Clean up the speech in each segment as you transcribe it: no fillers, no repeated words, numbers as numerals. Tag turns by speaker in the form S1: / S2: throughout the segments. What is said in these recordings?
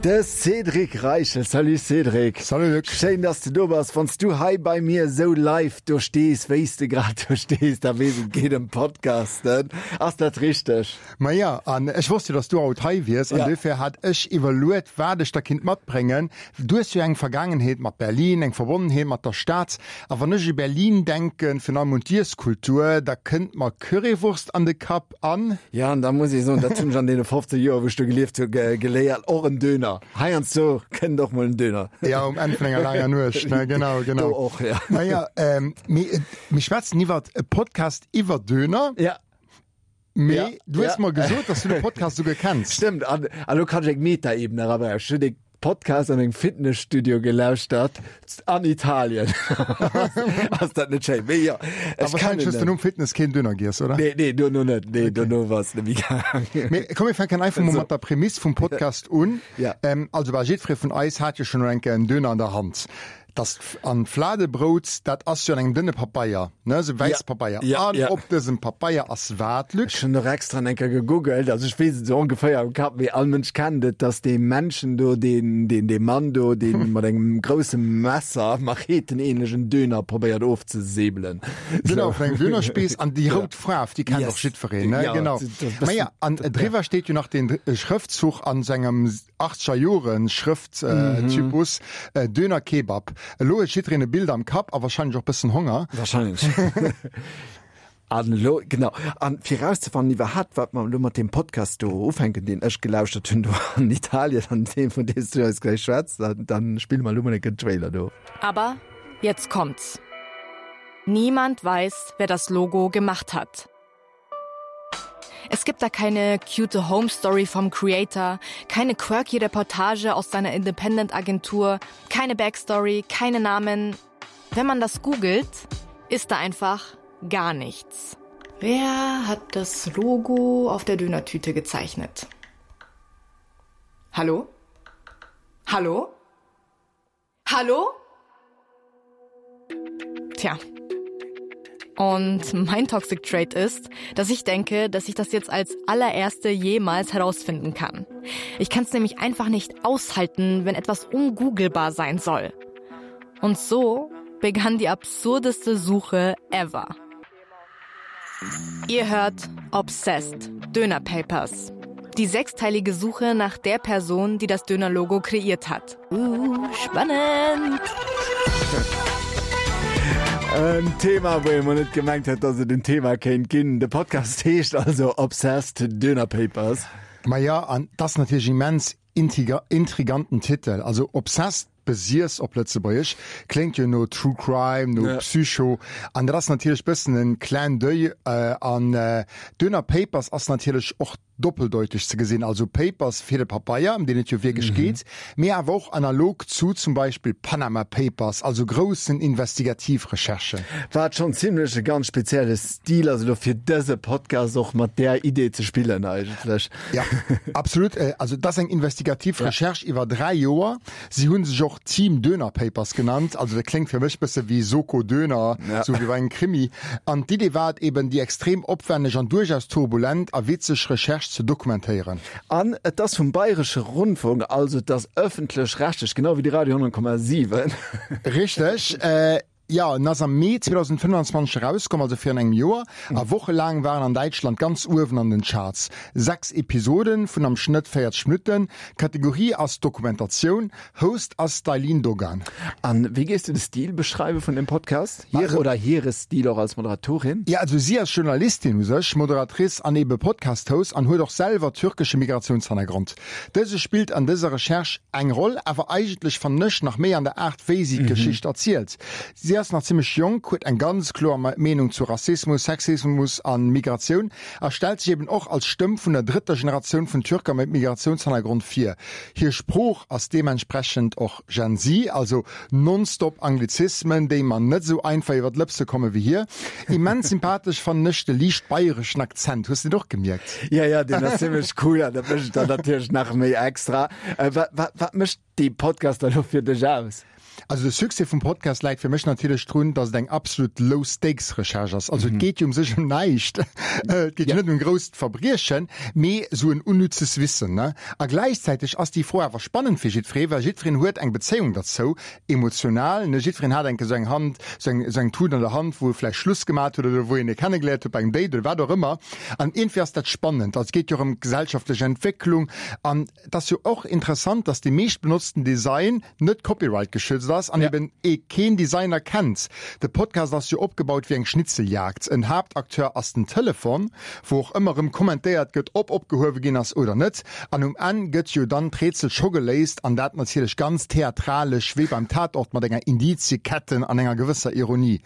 S1: De Cédric Reichel. Salut Cédric.
S2: Salut Luc.
S1: Schéin, dass du do bass. Wann s du hei bei mir esou live do stees, wéi s de grad do stees, da weess et geet ëm Podcasten. Ass dat richteg?
S2: Maja, an ech wosst jo, dass du haut hei wiers, an duerfir hat ech iwwerluet, wat ech der kinnt matbréngen. Du hues jo eng Vergaangenheet mat Berlin, eng Verbonnenheet mat der Stad. A wann ech u Berlin denken, virun allem un d'Iesskultur, da kënnt mer Currywurst an de Kapp. An?
S1: Ja, an da muss ech soen, dat hunn ech an deene 15 Joer, wou ech do gelieft hu, geléiert, och en Döner. Heiansdo kënnt och mol en Döner.
S2: Ja, um Enn vun enger laanger Nuecht, ne? Genau, genau.
S1: Do och, ja.
S2: Naja, ähm, mee mir schwätzen iwwert e Podcast iwwer Döner.
S1: Ja.
S2: Mee ja. du hues ja. mer gesot, dass du de Podcast souguer kenns.
S1: Stëmmt, an, an lo kann ech eng Metaebene erabréngen. Ech hunn dee Podcast an engem Fitnesstudio gelauschtert an Italien. Ass dat net schéin? Mee jo,
S2: ech wahrscheinlech hues du nom Fitness keen Döner giess, oder?
S1: Nee, nee, dono net. Nee, dono war es net méi gaangen.
S2: Mee komm, mir fänken einfach mol mat der Prämiss vum Podcast un.
S1: Ja.
S2: Ähm, also bal jiddweree vun eis hat jo schonn elo eng Kéier en Döner an der Hand. Das an Fladebrout, dat ass jo an engem dënne Papeier, ne, esou wäiss Papeier.
S1: Ja,
S2: an
S1: ja.
S2: op dësem Papeier ass wat, Luc?
S1: Ech hunn och extra eng Kéier gegoogelt, also ech weess et esou ongeféier am Kapp, mee all Mënsch kennt et, dass dee Männchen do, deen, deen, dee Mann do, dee mat engem grousse Messer, machetenähnlechen Döner probéiert ofzesäbelen.
S2: Genau, vun engem Dönerspiiss. An déi rout Faarf, déi kennt och jiddwereen, ne? Genau. Maja, an driwwer steet jo nach deen Schrëftzuch an sengem Achtzeger Joren Schrëfttypus, Döner Kebab. Elo huet jiddereen e Bild am Kapp a wahrscheinlech och bëssen Honger.
S1: Wahrscheinlech. An elo, genau, an fir erauszefannen iwwerhaapt, wat mer elo mat deem Podcast do ufänken, deen ech gelauschtert hunn do an Italien, an deem, vun deem s du eis gläich schwätz, dann, dann spille mer elo mol enke den Trailer do.
S3: Aber jetzt kommt's. Niemand weiß, wer das Logo gemacht hat. Es gibt da keine cute Home Story vom Creator, keine quirky Reportage aus seiner Independent Agentur, keine Backstory, keine Namen. Wenn man das googelt, ist da einfach gar nichts. Wer hat das Logo auf der Dönertüte gezeichnet? Hallo? Hallo? Hallo? Tja. Und mein Toxic Trait ist, dass ich denke, dass ich das jetzt als allererste jemals herausfinden kann. Ich kann es nämlich einfach nicht aushalten, wenn etwas ungoogelbar sein soll. Und so begann die absurdeste Suche ever. Ihr hört Obsessed Döner Papers. Die sechsteilige Suche nach der Person, die das Dönerlogo kreiert hat. Uh, spannend!
S1: En Thema, wou ee mol net gemengt hätt, dass et en Thema kéint ginn. De Podcast heescht also Obsessed Döner Papers.
S2: Maja, an 't ass natierlech immens Intriganten Titel, also Obsessed, Besiess op Lëtzebuergesch, kléngt jo no True Crime, no Psycho, an dat ass natierlech bëssen en Clin d'oeil an Döner Papers ass natierlech och doppeldeuteg ze gesinn, also Papers fir de Papeier, ëm deen et jo wierklech geet, mee awer och analog zu zum Beispill Panama Papers, also groussen Investigativrecherchen.
S1: Wat schonn zimlech e ganz spezielle Stil ass elo fir dëse Podcast och mat där Idee ze spillen eigentlech.
S2: Ja, absolut. Also dat ass eng investigativ Recherche iwwer 3 Joer. Si hu sech och Team Döner Papers genannt. Also dat kléngt fir mech bësse wéi Soko Döner, sou wéi bei engem Krimi. An d'Idee war et eben, déi extrem opwänneg an duerchaus turbulent a witzeg Recherche ze dokumentéieren.
S1: An et ass vum Bayresche Rundfunk, also et ass ëffentlech-rechtlech, genau wéi de Radio 100,7.
S2: Richteg. Jo, en ass am Mee 2025 erauskomm, also virun engem Joer, a wochelaang war en an Däitschland ganz uewen an den Charts. 6 Episoden vun am Schnëtt 40 Minutten. Kategorie ass Dokumentatioun, Host ass d'Eileen Dogan.
S1: An wéi géifs du de Stil beschreiwe vun dem Podcast? Hire oder hire Stil och als Moderatorin?
S2: Jo, also si ass Journalistin u sech, Moderatrice an ebe Podcast-Host an huet och selwer türkesche Migratiounshannergrond. Dëse spillt an dëser Recherche eng Roll, awer eigentlech fannen ech nach méi an der Aart wéi si d'Geschicht erzielt. Si ass nach zimmlech jonk, huet eng ganz kloer Meenung zu Rassismus, Sexismus an Migratioun a stellt sech eben och als Stëmm vun der drëtter Generatioun vun Türker mat Migratiounshannergrond vir. Hir Sprooch ass deementsprechend och Gen Z, also nonstop Anglizismen, déi mer net esou einfach iwwer d'Lëpse komme wéi hir. Immens sympathesch fannen ech de liicht bayreschen Akzent. Hues de deen och gemierkt?
S1: Ja, ja, deen ass zimmlech cool an dat mécht et dann natierlech nach méi extra. Wat, wat, wat mécht dee Podcast da lo fir dech aus?
S2: Also de Succès vum Podcast läit fir mech natierlech drun, datt et eng absolut Low-Stakes-Recherche ass. Also et geet jo um sech ëm näischt. Et geet jo net ëm e grousst Verbriechen, mee esou en unnützes Wissen, ne? A gläichzäiteg ass déi Fro awer spannend fir jiddweree, well jiddwereen huet eng Bezéiung derzou, emotional, ne? Jiddwereen hat eng Kéier esou eng Hand, esou eng, esou eng Tut an der Hand, wou e vläicht Schluss gemat huet oder wou een e kennegeléiert huet bei engem Date oder wat och ëmmer. An iergendwéi ass dat spannend. Also et geet jo och ëm d'gesellschaftlech Entwécklung an Et ass jo och interessant, dass dee meescht benotzten Design net Copyright geschützt ass an eben ee keen Designer kennt. De Podcast ass jo opgebaut wéi eng Schnitzeljagd. En Haaptacteur ass den Telefon, wou och ëmmer rëm kommentéiert gëtt, ob opgehuewe ginn ass oder net. An um Enn gëtt jo dann d'Rätsel scho geléist an dat natierlech ganz theatralesch, wéi beim Tatort mat enger Indizieketten an enger gewësser Ironie.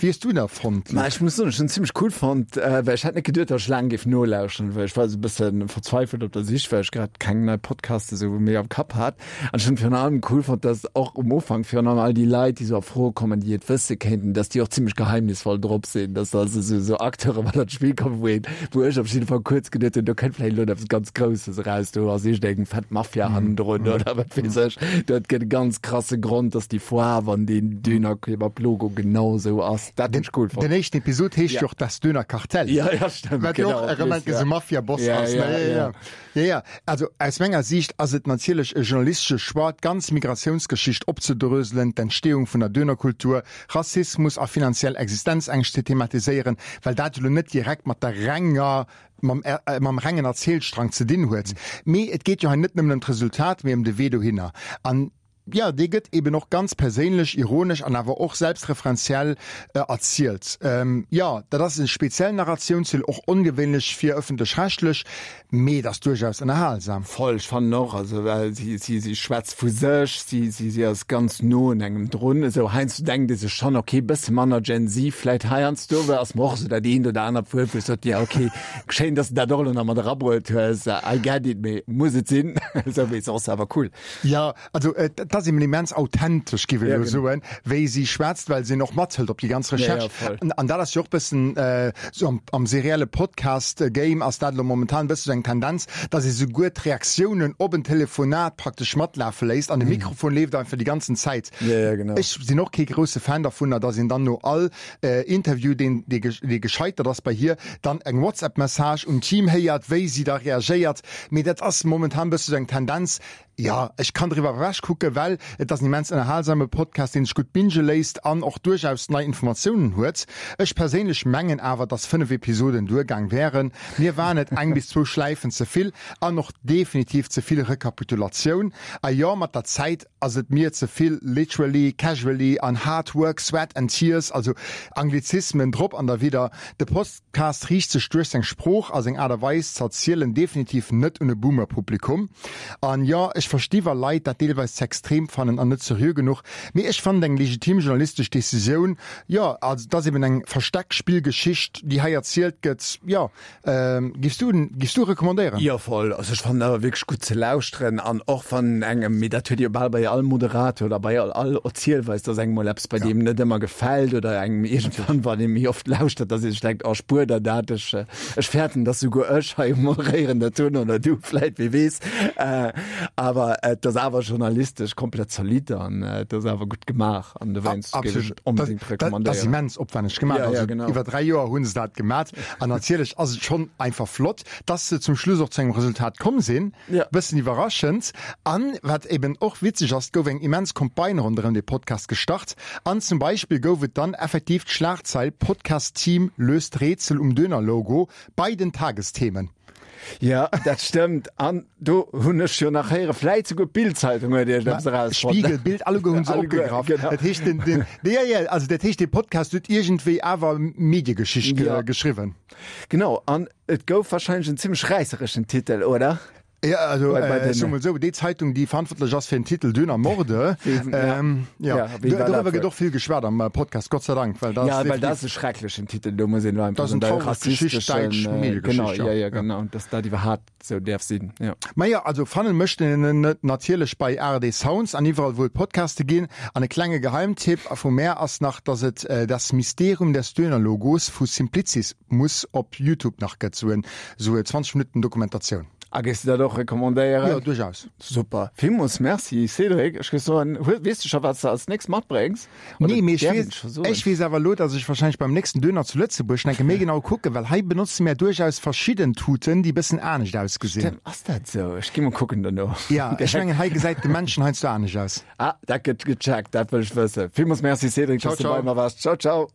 S2: Wéi hues du dat fonnt,
S1: Ma
S2: Luc?
S1: ech muss soen, ech hunn zimmlech cool fonnt, well ech hätt net geduet, datt ech laang géif nolauschteren, well ech war esou e bësse verzweifelt op der Sich, well ech grad keng nei Podcaste esou méi am Kapp hat. An ech hunn virun allem cool fonnt, datt och um Ufank virun allem all déi Leit, déi esou a Fro kommen, déi et wësse kéinten, datt déi och zimmlech geheimnisvoll drop sinn, datt also esou esou Acteure mat an d'Spill kommen, wou een, wou ech op jidde Fall kuerz geduet hunn, do kënnt vläicht elo eppes ganz Grousses eraus, do ass iergendeng fett Mafia hannendrun oder wat weess ech. Dat gëtt e ganz krasse Grond, dass déi Faarf an deen Dönerkebab-Logo genau sou ass. Dat hunn ech cool fonnt.
S2: Den éischten Episod heescht jo och Das Dönerkartell.
S1: Ja, ja, stëmmt.
S2: Wat jo och erëm eng Kéier sou Mafia-Boss ass, ne? Ja, ja. Ja, ja. Also aus menger Siicht ass et natierlech e journalistesche Choix, d'ganz Migratiounsgeschicht opzedröselen, d'Entstehung vun der Dönerkultur, Rassismus a finanziell Existenzängscht ze thematiséieren, well dat jo lo net direkt mat der renger mam, äh, mam rengen Erzielstrang ze dinn huet. Mee et geet jo hei net nëmmen ëm d'Resultat, mee ëm de Wee dohinner. An ja, dee gëtt eben och ganz perséinlech, ironesch an awer och selbstreferenziell äh, erzielt. Ähm, ja, dat ass en speziellen Narratiounsstil, och ongewéinlech fir ëffentlech-rechtlech, mee et ass duerchaus ënnerhalsam.
S1: Voll, ech fannen och, also well si, si, si schwätzt vu sech, si, si, si ass ganz no un engem drun, esou heiansdo denkt ee sech schonn, ok, bësse manner Gen Z vläit heiansdo, well ass mer och esou dat eent oder anert Wuert, wou ech sot, jo ok, schéin, dass de dat och elo nach mat erabruet hues, I get it, mee muss et sinn? Esou, mee soss awer cool.
S2: Jo, Also et ass eben immens authentesch, giff ech elo soen, wéi si schwätzt, well si en och mathëlt op déi ganz Recherche. An dat ass jo och bëssen esou am serielle Podcast-Game ass dat elo momentan e bësse sou eng Tendenz, datt ee souguer d'Reaktiounen op en Telefonat praktesch matlafe léisst an de Mikrofon leeft einfach déi ganzen Zäit. Ech sinn och kee grousse Fan dervunner, datt een dann no all Interview, deen dee gescheitert ass bei hir, dann eng WhatsApp-Message un d'Team héiert, wéi si da reagéiert. Mee dat ass momentan e bësse sou eng Tendenz. Jo, ech kann driwwer ewech kucken, well et ass en immens ënnerhalsame Podcast, deen sech gutt binge léisst an och duerchaus nei Informatiounen huet. Ech perséinlech mengen awer, dass 5 Episoden duergaang wären. Mir waren et eng bis zwou Schläifen ze vill an och definitiv ze vill Rekapitulatioun. A jo, mat der Zäit ass et mir ze vill literally, casually an hard work, sweat and tears, also Anglizismen drop an derwidder. De Post. Cast riicht sech duerch seng Sprooch a seng Aart a Weis ze erzielen definitiv net un e Boomer-Publikum. An jo, ech versti wa Leit dat deelweis ze extrem fannen an net seriö genuch, mee ech fannen et eng legitim journalistesch Decisioun. Jo, also et ass eben eng Versteckspillgeschicht déi hei erzielt gëtt. Jo, giffs du giffs du recommandéieren?
S1: Jo voll, also ech fannen awer wierklech gutt ze lauschteren an och wann engem, mee dat huet ee jo bal bei all Moderator oder bei all all Erzielweis, dass engem mol eppes bei deem net ëmmer gefält oder engem iergendwann, wann ee méi oft lauschtert, dass ee sech denkt, oh spuer der dat, ech, ech fäerten, dass souguer ech hei um Moderéieren dat hunn oder du vläit, wie weess. Awer et ass awer journalistesch komplett zolidd an et ass awer gutt gemaach an dowéinst géif ech et onbedéngt
S2: recommandéieren. Dat ass immens opwänneg gemaach. Also iwwer 3 Joer hu se dat gemat an natierlech ass et schonn einfach flott, dass se zum Schluss och zu engem Resultat komm sinn. Ja. Bëssen iwwerraschend. An wat eben och witzeg ass, et gouf eng immens Campagne ronderëm dee Podcast gestart. An zum Beispill gouf et dann effektiv d'Schlagzeil Podcast-Team löst Rätsel um Döner-Logo bei den Tagesthemen.
S1: Ja, dat stëmmt. An do hunn ech jo nach héiere, vläit souguer d'Bild-Zeitung huet iergendeppes erausfonnt.
S2: Spiegel, Bild, alleguer hunn se opgegraff. Genau. Dat heescht, den, den, ja, ja, also dat heescht, dee Podcast huet iergendwéi awer Mediegeschicht ja. geschriwwen.
S1: Genau. An Et gouf wahrscheinlech en zimmlech räissereschen Titel, oder?
S2: Ja, also bei, bei äh, so mol so, déi Zeitung, déi verantwortlech ass fir den Titel Döner Morde, ähm, ja. Ja, darüber gëtt och vill geschwat am äh, Podcast, Gott sei Dank,
S1: well das, ja, well das e schrecklechen Titel, do muss een
S2: einfach das eng
S1: rassistesch äh, genau, ja, ja, genau, dass dat iwwerhaapt sou däerf sinn,
S2: ja. Maja, also fannen mécht een en net natierlech bei ARD Sounds an iwwerall wou et Podcaste ginn. An e klenge Geheimtipp vu mär ass nach, dass et Das Mysterium des Dönerlogos vu Simplicis Muss op Youtube nach gëtt, sou en sou 20 Minutten Dokumentatioun.
S1: A géifs du dat och recommandéieren?
S2: Jo, duerchaus.
S1: Super. Villmools Merci, Cédric. Ech géif soen, hues, weess du scho, wat s de als nächst matbréngs?
S2: Oder Nee, mee ech däerf een weess, scho soen? ech weess awer elo, dass ech wahrscheinlech beim nächsten Döner zu Lëtzebuerg enke méi genau kucken, well hei benotze mär duerchaus verschidden Tuten, déi bëssen anescht ausgesinn.
S1: Stëmmt, ass dat sou? Ech gi mol kucken dono.
S2: Ja, ech mengen, hei gesäit de Männchen heiansdo anescht aus.
S1: Ah, dat gëtt gecheckt, dat wëll ech wëssen. Villmools Merci, Cédric,
S2: Ciao,
S1: dass du bei
S2: ciao.
S1: mer waars. Ciao, ciao.